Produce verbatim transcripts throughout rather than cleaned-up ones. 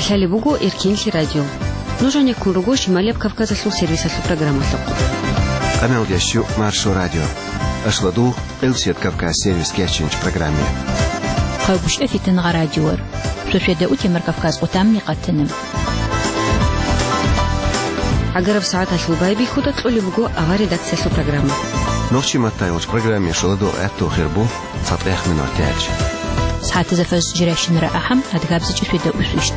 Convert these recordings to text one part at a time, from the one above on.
Лъалеб буго Эркенлъи радио. Нуж гьанеккун руго Шималияб Кавказалъул сервисалъул программалъухъ. Къамел ящу Маршо радио. Ашладу Къилсият Кавказ сервис кячинч программе. Хъагушев Фитнагъа радиор. Суседа утемар Кавказ къутамни къатана. Агараб сагӀаталъул байбихьуда кьолеб буго авар редакциялъул программа. Нохчи маттайгъуч программе шоладу гӀатту хирбу. ЦатӀех минут тяч. СагӀатазда фаз жиращинара ахӀам, адгабзичӀи светда усвищт.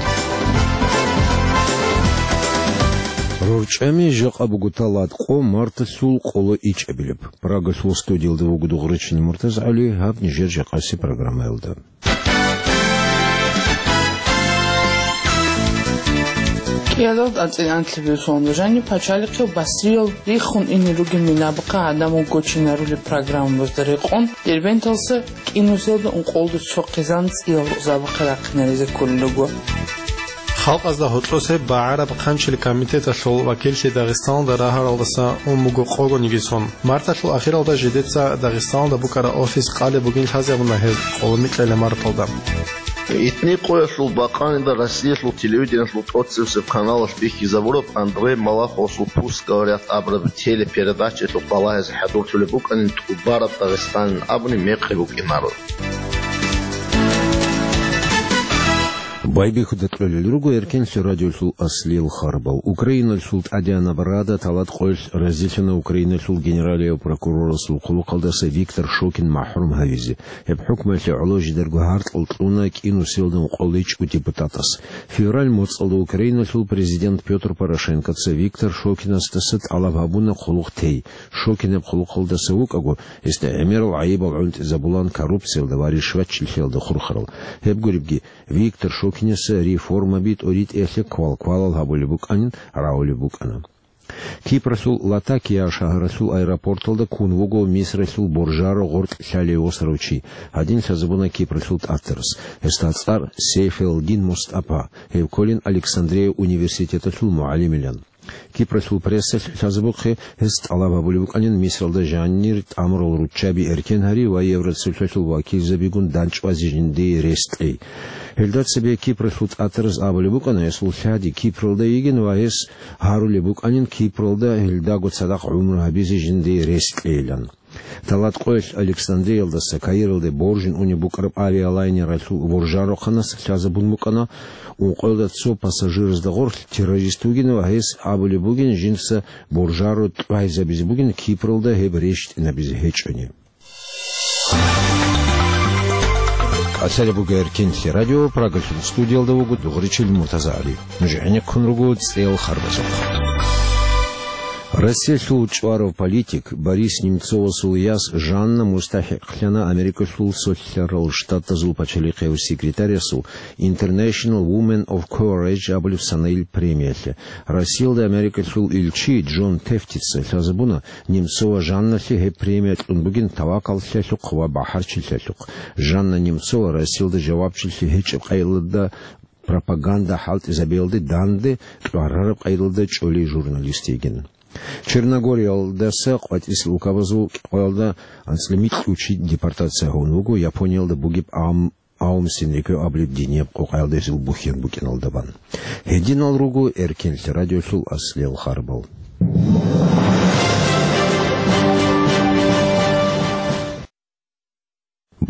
РорчӀами жакъа бугота латкъо марталъул къоло ичӀабилеб. Прагалъул студиялда вуго дугъричил МуртазгӀали, гьаб нижер жакъаси программаялда. КӀиялалда анцӀила анлъабилеб соналда жаниб пачалихъе Басриял риххун ине ругел минабахъа гӀадамал гочинарулеб программабазда рекъон, Дербенталса кӀинусиялда ункъолда цо хъизан цӀиял рукъзабахъе рахъинаризе кколел руго. Халкъазда гьоркьосе багӀараб хъанчил комитеталъул вакиллъи Дагъистаналда рагьаралдаса ун буго къогониги сон. Марталъул ахиралда жидеца Дагъистаналда букӀараб офис къалеб бугин лъазабуна гьез къоло микьила марталда. Итни къоялъул бакъанида Россиялъул телевидениялъул тӀоцебесеб каналалъ бихьизабураб Андрей Малаховасул «Пусть говорят» абураб телепередачаялъухъ балагьизе хӀадурлъулеб букӀанин тӀубараб Дагъистанин абуни мекъи букӀинаро. Байбихьуда кьолел руго Эркенлъи радиолъул аслиял харбал. Украиналъул ТӀадегӀанаб Рада талат къоялъ разилъана Украиналъул генералияв прокурорасул хъулухъалдаса Виктор Шокин махӀрум гьавизе. Гьеб хӀукмуялъе гӀоло жидерго гьаркьал кьуна кӀинусиялда ункъоличӀго депутатас. Февраль моцӀалда Украиналъул президент Пётр Порошенкоца Виктор Шокинасдаса тӀалаб гьабуна хъулухъ тей. Шокин гьеб хъулухъалдаса вукӀаго, гьесда гӀемерал гӀайибал гӀунтӀизабулан коррупциялда ва ришватчилъиялда хурхарал. Гьеб гуребги, Виктор Шокинаса реформаби тӀоритӀиялъе квалквалал гьабулеб букӀанин рагӀулеб букӀана. Кипралъул Латакия шагьаралъул аэропорталда ккун вуго Мисралъул боржаро гъоркь лъалев восаравчи. Гьадин лъазабуна Кипралъул тӀатарас. Гьесда цӀар Сейфелдин Мустапа. Гьев кколин Александрия университеталъул мугӀалимилан. Кипралъул прессалъ лъазабухъе гьес тӀалаб гьабулеб букӀанин Мисралда жанир тӀамурал руччаби эркен гьари ва Евроцолъалъул вакилзабигун дандчӀвазе жиндие рес кьей. Гьелда цебе Кипралъул тӀатарас абулеб букӀана, гьесул лъади Кипралда йигин ва гьес гьарулеб букӀанин Кипралда гьелдаго цадахъ гӀумру гьабизе жиндие рес кьейилан. Талат къоялъ Александриялдаса Каиралде боржун унеб букӀараб авиалайнералъул боржарохъанас лъазабун букӀана, ункъоялда цо пассажиразда гъорлъ террорист вугин ва гьес абулеб бугин жинца боржаро тӀвайзабизе бугин Кипралда гьеб рещтӀинабизе гьечӀони. КӀалъалеб буго Эркенлъи радио, Прагалъул студиялда вуго дугъричил МуртазагӀали. Нуж гӀенеккун руго цӀел харбазухъ. Россиялъул чӀварав политик Борис Немцовасул яс Жанна мустахӀикълъана Америкалъул Солъарал Штатазул пачалихъияв секретарясул International Women of Courage абулеб санаил премиялъе. Россиялда Америкалъул илчи Джон Тефтица лъазабуна, Немцова Жанналъе гьеб премия кьун бугин тавакаллъиялъухъ ва бахӀарчилъиялъухъ. Жанна Немцова Россиялда жавабчилъи гьечӀеб къайгъилда пропаганда хӀалтӀизабиялде данде кьварараб къайдалда чӀолей журналист йигин. Черногориялдаса къватӀисел улкабазул кӀикъоялда анцӀила микьучи депортация гьавун вуго Япониялда бугеб Аум, Аум Синрикё абулеб динияб къокъаялда гьезул бухьен букӀиналдабан. Гьединал руго Эркенлъи радиолъул аслиял харбал.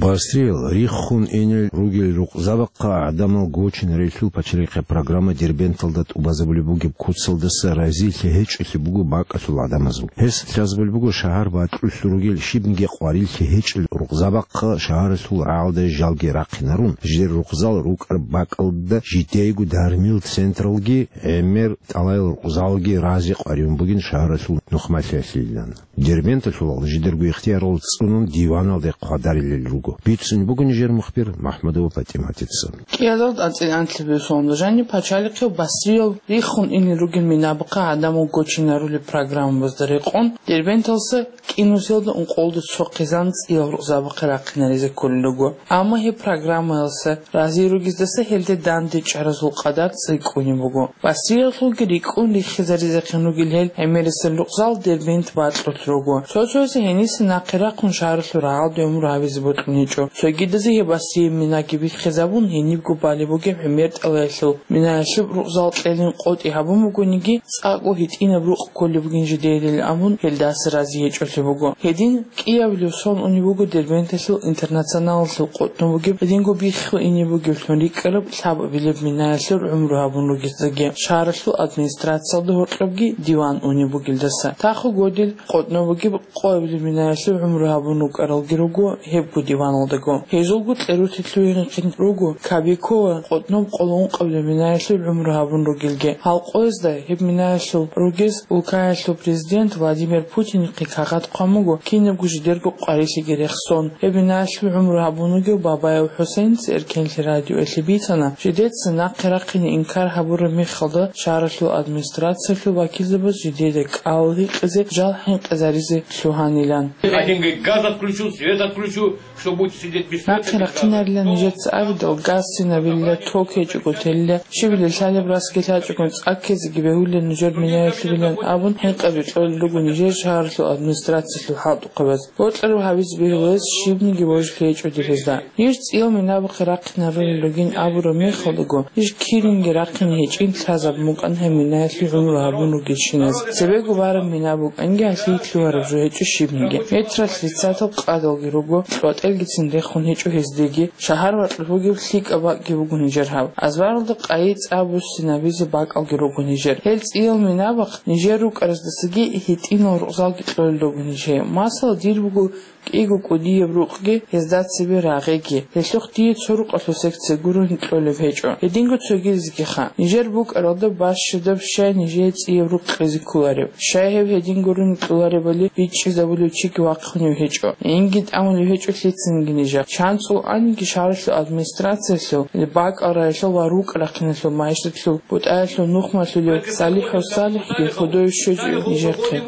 Басриял риххун инел ругел рукъзабахъа гӀадамал гочинарелъул пачалихъе программа Дербенталда тӀубазабулеб бугеб куцалдаса разилъи гьечӀолъи буго бакӀалъул гӀадамазул. Гьес лъазабулеб буго шагьар бакьулъ ругел щибниги къварилъи гьечӀел рукъзабахъа шагьаралъул рагӀалда жалги рахъинарун, жидер рукъзал рукӀараб бакӀалда жидейго дармил централги, гӀемер тӀалайл рукъзалги рази къваригӀун бугин шагьаралъул нухмалъиялъилан. Дербенталъулал жидерго ихтиярал цӀунун диваналде хъвадарилел руго. Бицунеб буго нижер мухбир МахӀмудова ПатӀиматица. КӀиялалда анцӀила анлъабилеб соналда жаниб пачалихъе Басриял риххун инел ругел минабахъа гӀадамал гочинарулеб программабазда рекъон, Дербенталса кӀинусиялда ункъолда цо хъизан цӀиял рукъзабахъе рахъинаризе кколел руго. Амма гьеб программаялса рази ругездаса гьелде данде чӀаразул къадар цӀикӀкӀунеб буго. Басриялъулги рикӀкӀун риххизаризехъин ругел гьел гӀемерисел рукъзал Дербент бакьулъ руго. Цо-цоясе гьениса нахъе рахъун шагьаралъул рагӀалде гӀумру гьабизе бокьун гьечӀо. Цогидазе гьеб Басрияб минаги биххизабун, гьенибго балеб бугеб гӀемер тӀалаялъул минаялъул рукъзал кьелин къотӀи гьабун бугониги, цӀакъго гьитӀинаб рукъ кколеб бугин жидеялил абун, гьелдаса рази гьечӀолъи буго. Гьедин кӀиабилев сон унеб буго Дербенталъул Интернационалалъул къотӀнов бугеб, гьединго биххун ине бугеблъун рикӀкӀараб лъабабилеб минаялъул гӀумру гьабун ругездаги, шагьаралъул администрациялда гьоркьобги диван унеб бугелдаса. Таху годил къотӀнов бугеб къоабилеб минаялъул гӀумру гьабун рукӀаралги руго гьебго диваналдаго. Гьезулго кьерутелъугьинхъин руго Кабикова къотӀноб къоло ункъабилеб минаялъул гӀумру гьабун ругелги. Гьал къоязда гьеб минаялъул ругез улкаялъул президент Владимир Путинихъе кагъат хъван буго кинабго жидерго къварилъиги рехсон. Гьеб минаялъул гӀумру гьабун вугев Бабаев ХӀусейница Эркенлъи радиоялъе бицана, жидеца нахъе рахъине инкар гьабураб мехалда, шагьаралъул администрациялъул вакилзабаз жидеда кӀал гьикъизе жал хӀинкъизаризе лъугьанилан. Один говорит, газ отключу, свет отключу, что будете сидеть без света, без газа. Нахъе рахъинарилан нижеца абидал, газ цинабилила, ток гьечӀого телила, щибила лъалеб расги лъачӀого цӀаккезеги бегьулила нужер минаялъубилан абун, хӀинкъаби кьолел руго нижер шагьаралъул администрациялъул хӀалтӀухъабаз. Бокьараб гьабизе бегьуларес щибниги божилъи гьечӀо дирезда. Иш цӀиял минабухъе рахъинарулел ругин абураб мехалдаго, иш киринги рахъине гьечӀин лъазабун букӀана гьеб минаялъе гӀумру гьабун ругелщиназ. Цебего бараб мина букӀанги, гьалъие лъугьараб жо гьечӀо щибниги. Метралъ риццатал къадалги руго, кьватӀелгицин рехун гьечӀо гьездеги, шагьар вакьулъ бугеб лъикӀаб бакӀги буго нижер гьаб. Азбаралда къайи цӀа буссинабизе бакӀалги руго нижер. Гьел цӀиял минабахъ нижер рукӀараздасаги гьитӀинал рукъзалги кьолел руго нижее. Масала, дир буго кӀиго кӀудияб рукъги, гьезда цебе рагъиги. Гьелъухъ дие цо рукъалъул секция гурони кьолеб гьечӀо. Гьединго цогидазегиха. Нижер букӀаралда бащадаб щай нижее цӀияб рукъ кьезе кколареб? Щай гьеб гьедин гурони кьоларебали бичӀчӀизабулев чиги вахъунев гьечӀо, гӀинги тӀамулев гьечӀо лъицанги нижер. ЧанцӀул аниги шагьаралъул администрациялъул, бакӀал районалъул ва рукъ рахъиналъул, магьишатлъул бутӀаялъул нухмалъулев СалихӀав СалихӀги худой щвечӀо нижехъе.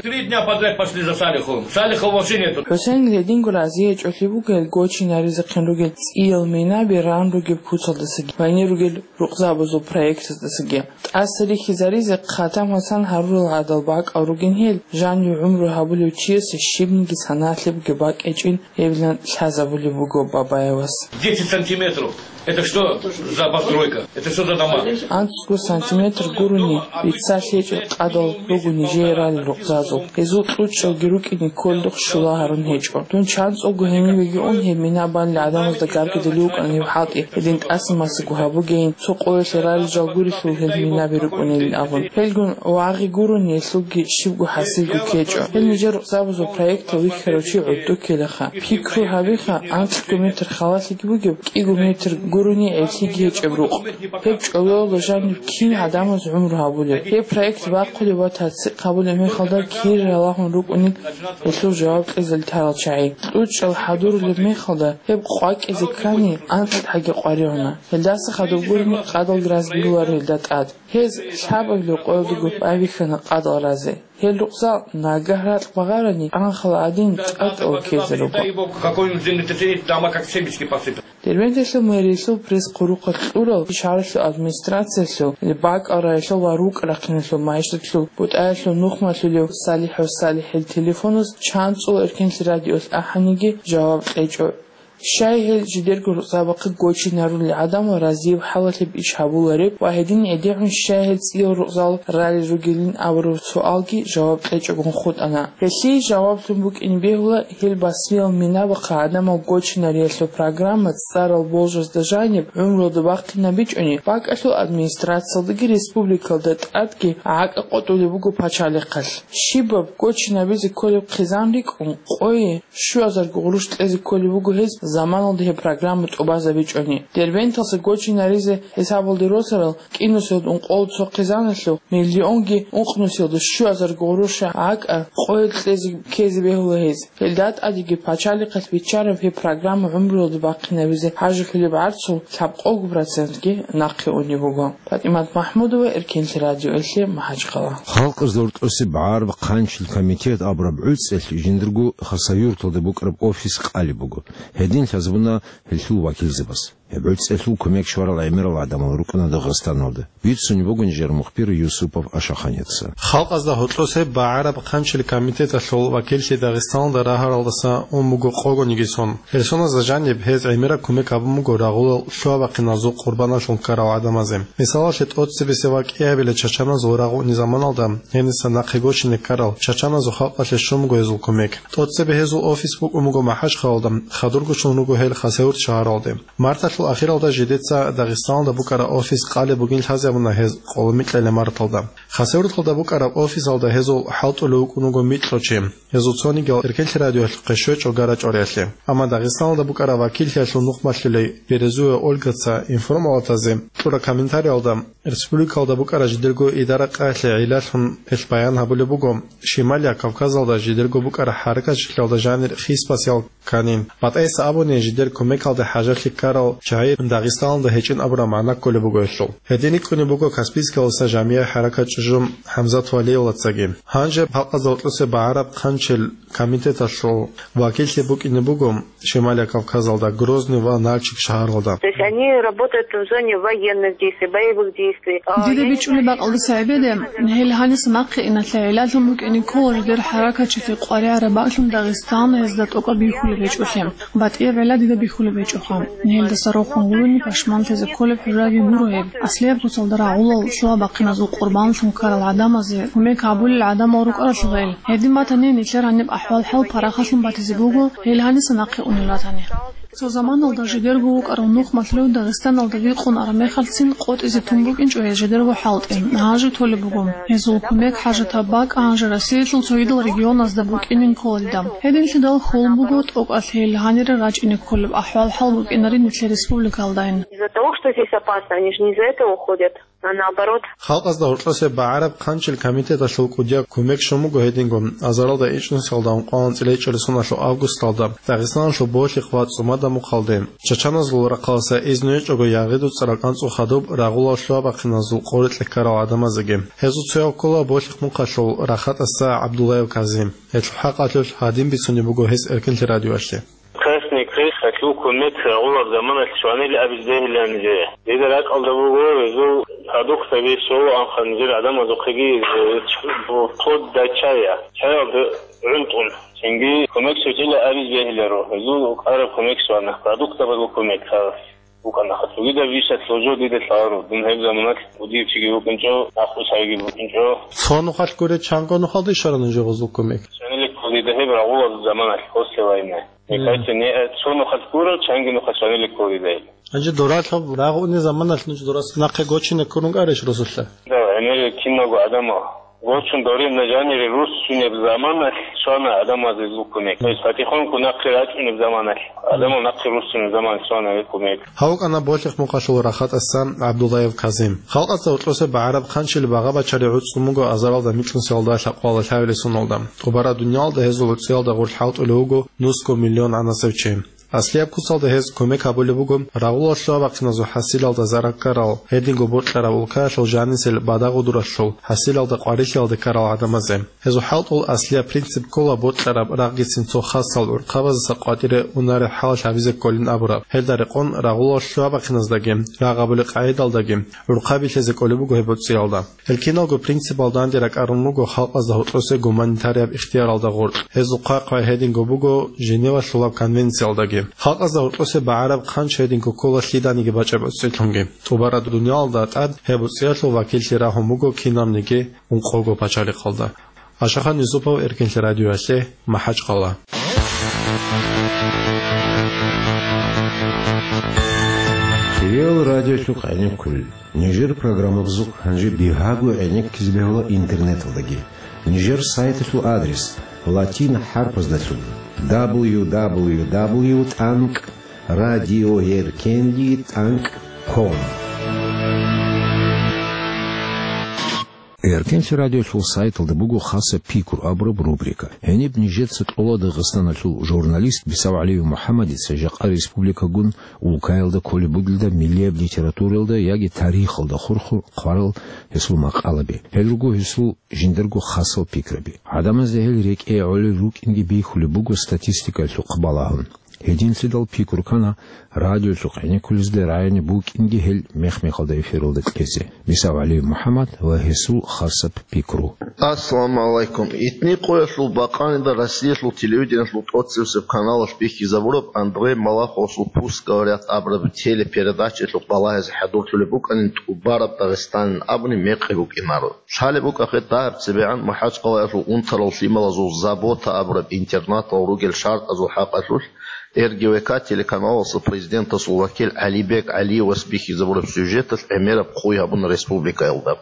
Три дня подряд пошли за Салиховым. Салихова вообще нету. ХӀусейнил гьединго рази гьечӀолъи буго гьел гочинаризехъин ругел цӀиял минаби ран ругеб куцалдасаги, гьанир ругел рукъзабазул проектаздасаги. ТӀаса рихьизаризе хъатам гьасан гьарурал гӀадал бакӀал ругин гьел, жанив гӀумру гьабулев чиясе щибниги саналъебги бакӀ гьечӀин гьебилан лъазабулеб буго Бабаевас. Десять сантиметров. Это что за постройка? Это что за дома? АнцӀго сантиметр гурони бицалъ гьечӀеб къадал руго нижее ралел рукъзазул. Гьезул кьучӀалги рукӀине кколдухъ щула гьарун гьечӀо. Дун чанцӀулго гьенивеги ун гьеб мина балел гӀадамазда гаргадулев вукӀана гьеб хӀалтӀи, гьедин тӀаса-масаго гьабугейин, цо къоялъе ралел жал гурелъул гьел минаби рукӀунилин абун. Гьелгун вагъи гурони гьелъулги щибго хӀасилго ккечӀо. Гьел нижер рукъзабазул проектал вихьарав чи гӀодов ккелаха. Пикру гьабиха, анкьго метр халалъиги бугеб, кӀиго метр гурони гӀеблъиги гьечӀеб рукъ. Гьеб чӀолоялда жаниб кин гӀадамаз гӀумру гьабулеб? Гьеб проект бахъулеб ва тасдикъ гьабулеб мехалда кири ралагьун рукӀунел гьелъул жаваб кьезе лъарал чагӀи. КьучӀал хӀадурулеб мехалда гьеб къвакӀизе ккани, анкьгӀаги къваригӀуна. Гьелдаса хадуб гурони къадалги разги боларо гьелда тӀад. Гьез лъабабилеб къоялдаго байбихьана къадал разе. Гьел рукъзал нагагь ракь багъарани, анхал гӀадин тӀатӀала ккезе руго. Какой-нибудь землетрясение, дома как семечки посыпят. Дербенталъул мэриялъул пресс-хъулухъалъ кьурал, шагьаралъул администрациялъул, бакӀал районалъул ва рукъ рахъиналъул, магьишатлъул бутӀаялъул нухмалъулев СалихӀав СалихӀил телефоназ чанцӀул Эркенлъи радиоялъ ахӀаниги жаваб кьечӀо. Щай гьел жидерго рукъзабахъе гочинарулел гӀадамал разияб хӀалалъеб иш гьабулареб ва гьедин гӀедегӀун щай гьел цӀиял рукъзал ралел ругелин абураб суалги жаваб кьечӀогун хутӀана. Гьелъие жаваблъун букӀине бегьула гьел Басриял минабахъа гӀадамал гочинариялъул программа цӀарал болжазда жаниб гӀумруялда бахъинабичӀони, бакӀалъул администрациялдаги республикалда тӀадги гӀакӀа къотӀулеб буго пачалихъалъ. Щибаб гочинабизе кколеб хъизан рикӀкӀун, къое щуазарго гъурущ кьезе кколеб буго гьез заманалда гьеб программа тӀубазабичӀони. Дербенталъа гочинаризе хӀисабалде росарал кӀинусиялда ункъоялда цо хъизаналъул миллионги ункънусиялда щуазарго гъурущ гӀакӀа къое кьезе ккезе бегьула гьез. Гьелда тӀадеги пачалихъалъ биччараб гьеб программа гӀумруялда бахъинабизе гьажулъулеб гӀарцул лъабкъого процентги нахъе унеб буго. ПатӀимат МахӀмудова, Эркенлъи радиоялъе, МахӀачхъала. Халкъалъул рокьоса гӀараб хъанчил комитет абураб гӀуцӀиялъ жиндирго Хасавюрталда букӀараб офис къалеб буго. Гьедин лъазабуна гьелъул вакилзабаз. гӀуцӀелъул кумек щварал гӀемерал гӀадамал рукӀана Дагъистаналда. Бицунеб буго нижер мухбир Юсупов Ашаханица. Халкъазда гьоркьосе багӀараб хъанчил комитеталъул вакиллъи Дагъистаналда рагьаралдаса ун буго къогониги сон. Гьел соназда жаниб гьез гӀемераб кумек гьабун буго рагъулал лъугьа-бахъиназул къурбаналъун ккарал гӀадамазе. Мисалалъе, тӀоцебесеб вакӀиабилеб чачаназул рагъуни заманалда гьениса нахъе гочине ккарал чачаназул халкъалъе щун буго гьезул кумек. ТӀоцебе гьезул офис букӀун буго МахӀачхъалалда, хадургочлъун руго гьел Хасавюрт шагьаралде. Марталъул ахиралда жидеца Дагъистаналда букӀараб офис къалеб бугин лъазе абуна гьез къоло микьалеб марталда. Хасавюрталда букӀараб офисалда гьезул хӀалтӀулев вукӀун вуго микьго чи. Гьезул цонигиял Эркенлъи радиоялъухъе щвечӀо гара-чӀвариялъе. Амма Дагъистаналда букӀараб вакиллъиялъул нухмалъулей Березуева Ольгаца информалатазе кьураб комментариялда, республикалда букӀараб жидерго идара-къаялъе гӀиллалъун гьелъ баян гьабулеб буго, Шималияб Кавказалда жидерго букӀараб хӀаракатчилъиялда жанир хисбасел кканин. БатӀайса абуни, жидер кумекалде хӀажалъи ккарал чагӀи Дагъистаналда гьечӀин абураб магӀна кколеб буго гьелъул. Гьедин рикӀкӀунеб буго Каспийскаласа жамигӀ хӀаракат чӀужу ХӀамзат Валиевлъацаги. Гьанже халкъазда гьоркьосе багӀараб хъанчил комитеталъул вакиллъи букӀине буго Шималияб Кавказалда, Грозный ва Нальчик шагьаралда. То есть они работают в зоне военных действий, боевых действий. А, Дида я не бичӀчӀулеб знаю, бакӀалдаса гӀебеде, гьел гьаниса нахъе иналъе гӀиллалъун букӀине ккола жидер хӀаракатчилъи къваригӀараб бакӀлъун Дагъистан гьезда тӀокӀаб бихьулеб гьечӀолъи. БатӀияб гӀилла дида бихьулеб гьечӀоха. Гьелдаса рохун гурони пашманлъизе кколеб хӀужаги гуро гьеб. Аслияб куцалда рагъулал лъугьа-бахъиназул къурбанлъун ккарал гӀадамазе кумек гьабулел гӀадамал рукӀаралъугъел. Гьедин батани, нилъер гьаниб ахӀвал-хӀал парахалъун батизе буго, гьел гьаниса нахъе унел ратани. Цо заманалда жидерго вукӀарав нухмалъулев Дагъистаналда вихъун араб мехалъцин къотӀизе тун букӀинчӀо гьез жидерго хӀалтӀи. Гьанже толеб буго. Гьезул кумек хӀажатаб бакӀ гьанже Россиялъул цогидал регионазда букӀинин ккола дида. Гьединлъидал хьул буго тӀокӀалъ гьел гьанире рачӀине кколеб ахӀвал-хӀал букӀинари нилъер республикалдайин. Из-за того, что здесь опасно, они же не из-за этого уходят, а наоборот. Халкъазда гьоркьосе багӀараб хъанчил комитеталъул кӀудияб кумек щун буго гьединго азаралда ичӀнусиялда ункъоялда цӀилечӀел соналъул августалда Дагъистаналъул Болъихъ ва ЦӀумада мухъалде. Чачаназул рахъалдаса изну гьечӀого ягъиду цӀарал кӀанцӀул хадуб рагъулал лъугьа-бахъиназул къорикье ккарал гӀадамазеги. Гьезул цояв ккола Болъихъ мухъалъул рахатӀаса ГӀабдуллаев Казим. Гьелъул хӀакъалъулъ гьадин бицунеб буго гьес Эркенлъи радиоялъе. Красный Крест гьалъул кумек рагъулаб заманалъ щванил абизе бегьиланизе. Дида ракӀалда буго, гьезул продуктаби щолаанха нижер гӀадамазухъеги, э, вплоть до чая. Чаялда гӀунтӀун. Цинги кумек щвечӀила абизе бегьиларо. Гьезул араб кумек щвана. Продуктабазул кумек, гьа, букӀана. Цогидаб бищалъ гьужо дида лъаларо. Дун гьеб заманалъ кӀудиев чиги вукӀинчӀо, нахъвуссаги букӀинчӀо. Цо нухалъ гуре, чанго нухалда ишарана жо гьезул кумек? Щваниле кколида гьеб рагъулазул заманалъ, после войны. Мгм. Никайте не, э, цо нухалъ гуро, чанги нухалъ щваниле кколида. Гьанже доралъуб рагъуни заманалъ нуж дорас нахъе гочине ккурун кӀарищ росулъа? Да, гӀемер киналго гӀадамал. Гочун дорин нажанире руссунеб заманалъ щвана гӀадамазе зул кумек. То есть, потихоньку нахъе рачӀунеб заманалъ. ГӀадамал нахъе руссунеб заманалъ щвана гьеб кумек. Гьав вукӀана Болъихъ мухъалъул рахатӀасан ГӀабдуллаев Казим. Халкъазда гьоркьосе багӀараб хъанчил багъа бачари гӀуцӀун буго азаралда микьнусиялда лъабкъоялда лъабилеб соналда. ТӀубараб дуниялалда гьезул гӀуцӀиялда гъорлъ хӀалтӀулев вуго нусго миллион гӀанасев чи. Аслияб куцалда гьез кумек гьабулеб буго рагъулал лъугьа-бахъиназул хӀасилалда зарал ккарал, гьединго бокьараб улкаялъул жанисел бадагъудуралъул хӀасилалда къварилъиялде ккарал гӀадамазе. Гьезул хӀалтӀул аслияб принцип ккола бокьараб рагъгицин цо хасал гӀурхъабаздаса къватӀире унареб хӀалалъ гьабизе кколин абураб. Гьелда рекъон рагъулал лъугьа-бахъиназдаги, рагъ гьабулеб къагӀидалдаги гӀурхъаби лъезе кколеб буго гьеб гӀуцӀиялда. Гьел киналго принципал данде ракӀарун руго халкъазда гьоркьосе гуманитарияб ихтияралда гъоркь. Гьезул хъвай-хъвай гьединго буго Женевалъулаб конвенциялдаги. Халкъазда гьоркьосе багӀараб хъанч гьединго ккола лъиданиги бачӀеб гӀуцӀилъунги. ТӀубараб дуниялалда тӀад гьеб гӀуцӀиялъул вакиллъи рагьун буго кинабниги ункъого пачалихъалда. Ашахан Юсупов, Эркенлъи радиоялъе, МахӀачхъала. Реал радиолъухъ гӀенеккулел. Нижер программабазухъ гьанже бигьаго гӀенеккизе бегьула интернеталдаги. Нижер сайталъул адрес латин хӀарпаздалъун: дабл ю дабл ю дабл ю тӀанкӀ радиоеркенлъи тӀанкӀ ком. Эркенлъи радиолъул сайталда буго хасаб пикру абураб рубрика. Гьениб нижеца кьола Дагъистаналъул журналист БисавгӀалиев МухӀаммадица жакъа республикагун улкаялда кколеб бугелда миллияб литературалда яги тарихалда хурхун хъварал гьесул макъалаби. Гьел руго гьесул жиндарго хасал пикраби. ГӀадамазда гьел рекӀее гӀолел рукӀинги бихьулеб буго статистикалъухъ балагьун. Гьединлъидал пикру ккана радиолъухъ гӀенеккулезда рагӀине букӀинги гьел мех-мехалда эфиралда кьезе. Мисав ГӀалиев МухӀаммад ва гьесул хасаб пикру. Ассаламу гӀалайкум. Итни къоялъул бакъанида Россиялъул телевидениялъул тӀоцебесеб каналалъ бихьизабураб Андрей Малаховасул «Пусть говорят» абураб телепередачаялъухъ балагьизе хӀадурлъулеб букӀанин тӀубараб Дагъистанин абуни мекъи букӀинаро. Лъалеб букӀахъе дагьаб цебегӀан МахӀачкъалаялъул унтарал лъималазул «Забота» абураб интернатал ругел шартӀазул хӀакъалъулъ Р Г В К телеканалалъул президентасул вакил ГӀалибек ГӀалиевас бихьизабураб сюжеталъ гӀемераб хъуй гьабуна республикаялда.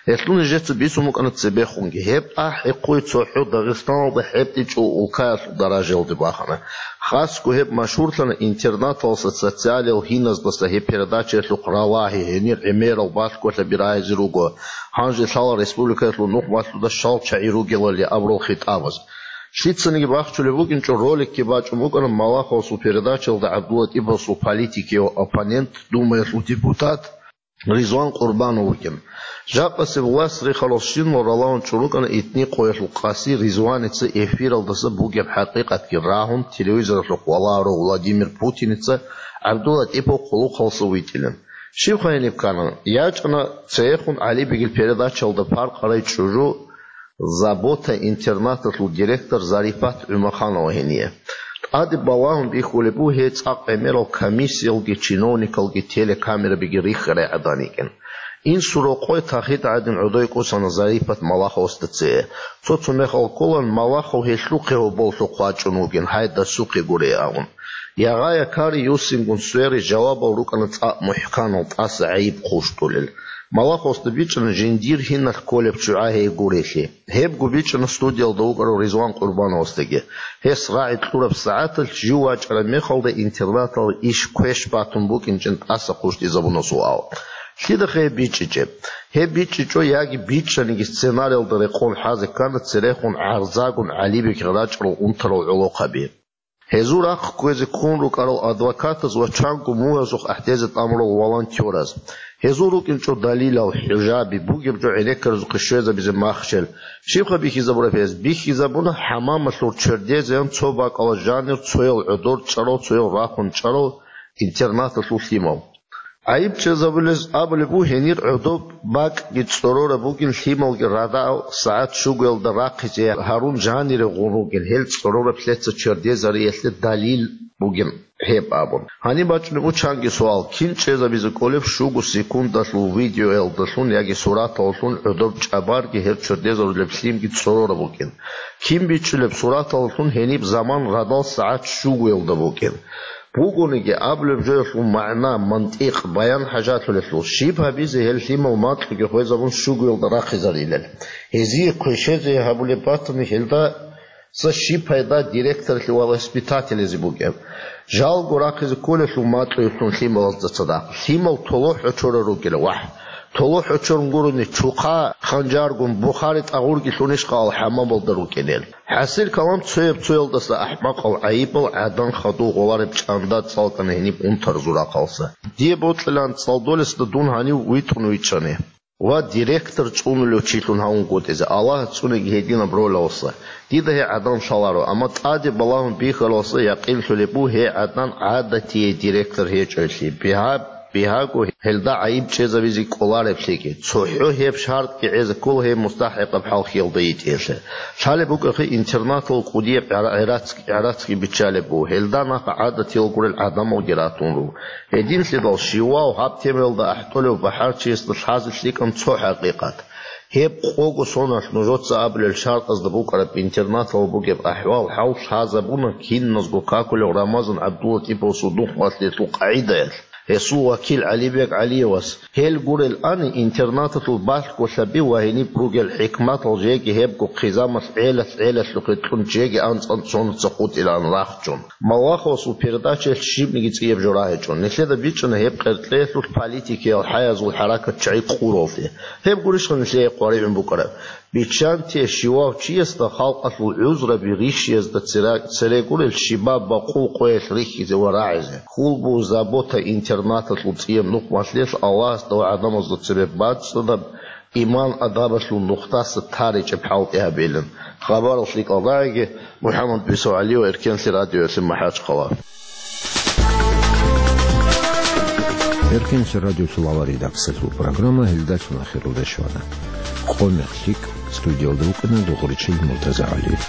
Гьелъул нижеца бицун букӀана цебехунги. Гьеб ахӀи-хъуй цохӀо Дагъистаналда хӀетӀичӀо улкаялъул даражаялде бахана. Хасго гьеб машгьурлъана интернаталъа социалиял гьиназдаса гьеб передачаялъухъ ралагьи, гьенир гӀемерал балъголъаби рагьизе руго, гьанже лъала республикаялъул нухмалъуда щал чагӀи ругелали абурал хитӀабаз. Лъицаниги бахчулеб букӀинчӀо роликги бачӀун букӀана Малаховасул передачаялда ГӀабдуллатӀиповасул политикияв оппонент, Думаялъул депутат Ризван Къурбанов вукӀин. Жакъасеб власть рихарал щинал ралагьун чӀун рукӀана итни къоялъул къаси Ризваница эфиралдаса бугеб хӀакъикъатги рагьун, телевизоралъухъ валагьарав Владимир Путиница ГӀабдуллатӀипов хъулухъалса витӀилан. Щибха гьениб ккана? ЯчӀана цеехун ГӀалибегил передачаялда паркъарай чӀужу «Забота» интернаталъул директор Зарипат ГӀумаханова гьение. ТӀаде балагьун бихьулеб буго гьей цӀакъ гӀемерал комиссиялги чиновникалги телекамерабиги рихьарай гӀадан йикӀин. Инсул рокъой тахида гӀадин гӀодой кӀусана Зарипат Малаховасда цее. Цо-цо мехалъ кколан Малахов гьелъухъе гьоболлъухъ вачӀун вугин, гьай дасухъе гурей абун. Ягъа-якари юссингун свере жавабал рукӀана цӀакъ мухӀканал, тӀаса гӀайиб хъущтӀулел. Малаховасда бичӀчӀана жиндир гьиналъ кколеб ччугӀа гьей гурелъи. Гьебго бичӀчӀана студиялда вукӀарав Ризван Къурбановасдаги. Гьес рагӀи кьураб сагӀаталъ жив вачӀараб мехалда интернаталда иш квеш батун букӀинчӀин тӀаса хъущтӀизабуна суал. Лъидахъе гьеб бичӀчӀичӀеб? Гьеб бичӀчӀичӀо яги бичӀчӀаниги сценариялда рекъон хӀазе ккана церехун гӀарзагун ГӀалибегил рачӀарал унтарал гӀолохъаби. Гьезул рахъ кквезе ккун рукӀарал адвокатаз ва чанго мугьазухъ ахӀдезе тӀамурал волонтёраз. Гьезул рукӀинчӀо далилал, хӀужаби, бугеб жо гӀенеккаразухъе щвезабизе махщел. Щибха бихьизабураб гьез? Бихьизабуна хӀамамалъур чердезеян цо бакӀалда жанир цоял гӀодор чӀарал, цоял рахун чӀарал интернаталъул лъимал. ГӀайиб чӀезабулез абулеб буго гьенир гӀодоб бакӀги цӀорораб бугин лъималги радал сагӀат щугоялда рахъизе гьарун жанире гъун ругел гьел цӀорораб лъеца чердезариялъе далил бугин гьеб абун. Гьаниб бачӀунеб буго чанги суал: кин чӀезабизе кӀолеб щуго секундалъул видеоялдалъун яги сураталлъун гӀодоб чӀабарги гьеб чердезарулеб лъимги цӀорораб букӀин? Кин бичӀчӀулеб сураталлъун гьениб заман радал сагӀат щугоялда букӀин? Бугониги, абулеб жоялъул магӀна, мантикъ, баян хӀажалъулелъул, щиб гьабизе гьел лъимал макьуги хвезабун щугоялда рахъизарилел? Гьезие квешезе гьабулеб батани, гьелдаса щиб пайда директорлъи ва воспитателлъизе букӀеб? Жалго рахъизе кколелъул макьуялъун лъималазда цадахъ. Лъимал толохӀ очорал ругел, вахӀ. ТолохӀ очорун гурони, чухъа ханжаргун, бухари тӀагъурги лъунищ къал хӀамамалда рукӀинел? ХӀасил калам цояб-цоялдаса ахӀмакъал гӀайибал гӀадан хадув гъолареб чӀанда цӀалкӀана гьениб унтарзул рахъалса. Дие бокьилан цӀалдолесда дун гьанив витӀун вичӀчӀани ва директор цӀунулев чилъун гьавунгутӀизе. Аллагьас цӀуниги гьединаб ролалса. Дида гьей гӀадан лъаларо, амма тӀаде балагьун бихьаралса якъинлъулеб буго гьей гӀадан гӀадатие директор гьечӀойлъи. Бигьа-, бигьаго гьелда гӀайиб чӀезабизе кӀолареблъиги. ЦохӀо гьеб шартӀги гӀезе ккола гьей мустахӀикъаб хӀалхьиялда йитӀиялъе. Лъалеб букӀахъе интернатал кӀудияб гӀара-, гӀарацги, гӀарацги биччалеб буго. Гьелда нахъа гӀадатиял гурел гӀадамалги ратун руго. Гьединлъидал щивав гьаб темаялда ахӀдолев бахӀарчиясда лъазе лъикӀан цо хӀакъикъат. Гьеб къого соналъ нужеца абулел шартӀазда букӀараб интернатал бугеб ахӀвал-хӀал лъазабуна киназго какулев Рамазан ГӀабдуллатӀиповасул нухмалъиялъул къагӀидаялъ. Гьесул вакил ГӀалибек ГӀалиевас гьел гурел ани интернаталъул балъголъаби ва гьениб ругел хӀикматал жеги гьебго хъизамалъ гӀелалъ-гӀелалъухъе кьун жеги анцӀ-анцӀ сонаца хутӀилаан рахчун. Малаховасул передачаялъ щибниги цӀияб жо рагьичӀо. Нилъеда бичӀчӀана гьеб къеркьеялъулъ политикиял хӀаязул хӀаракат чагӀи къуралде. Гьеб гурищха нилъее къваригӀун букӀараб? Биччанте, щивав чиясда халкъалъул гӀузраби рищиязда цера-, цере гурел щибаб бакъул къоялъ рихьизе ва рагӀизе. Хьул буго «Забота» интернаталъул цӀияб нухмалъиялъ Аллагьасда ва гӀадамазда цебе бацӀцӀадаб иман-адабалъул нухдаса таричӀеб хӀалтӀи гьабилин. Хабарал лъикӀалдагӀиги, МухӀаммад БицогӀалиев, Эркенлъи радиоялъе, МахӀачхъала. Эркенлъи радиоялъул авария дакӀсалъул программа гьелдалъун ахиралде щвана. Къо-мех лъикӀ, студиялда вукӀана Дугъричил МуртазагӀалиев.